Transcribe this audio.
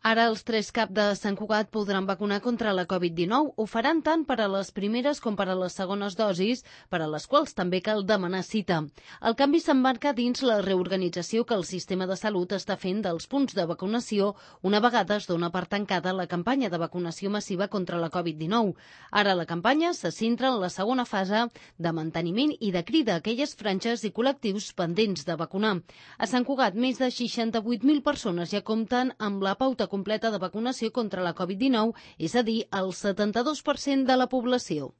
Ara els 3 CAP de Sant Cugat podran vacunar contra la Covid-19. Ho faran tant per a les primeres com per a les segones dosis, per a les quals també cal demanar cita. El canvi s'emmarca dins la reorganització que el sistema de salut està fent dels punts de vacunació una vegada es dona per tancada la campanya de vacunació massiva contra la Covid-19. Ara la campanya se centra en la segona fase de manteniment i de crida a aquelles franges i col·lectius pendents de vacunar. A Sant Cugat, més de 68.000 persones ja compten amb la pauta completa de vacunació contra la Covid-19, és a dir, el 72% de la població.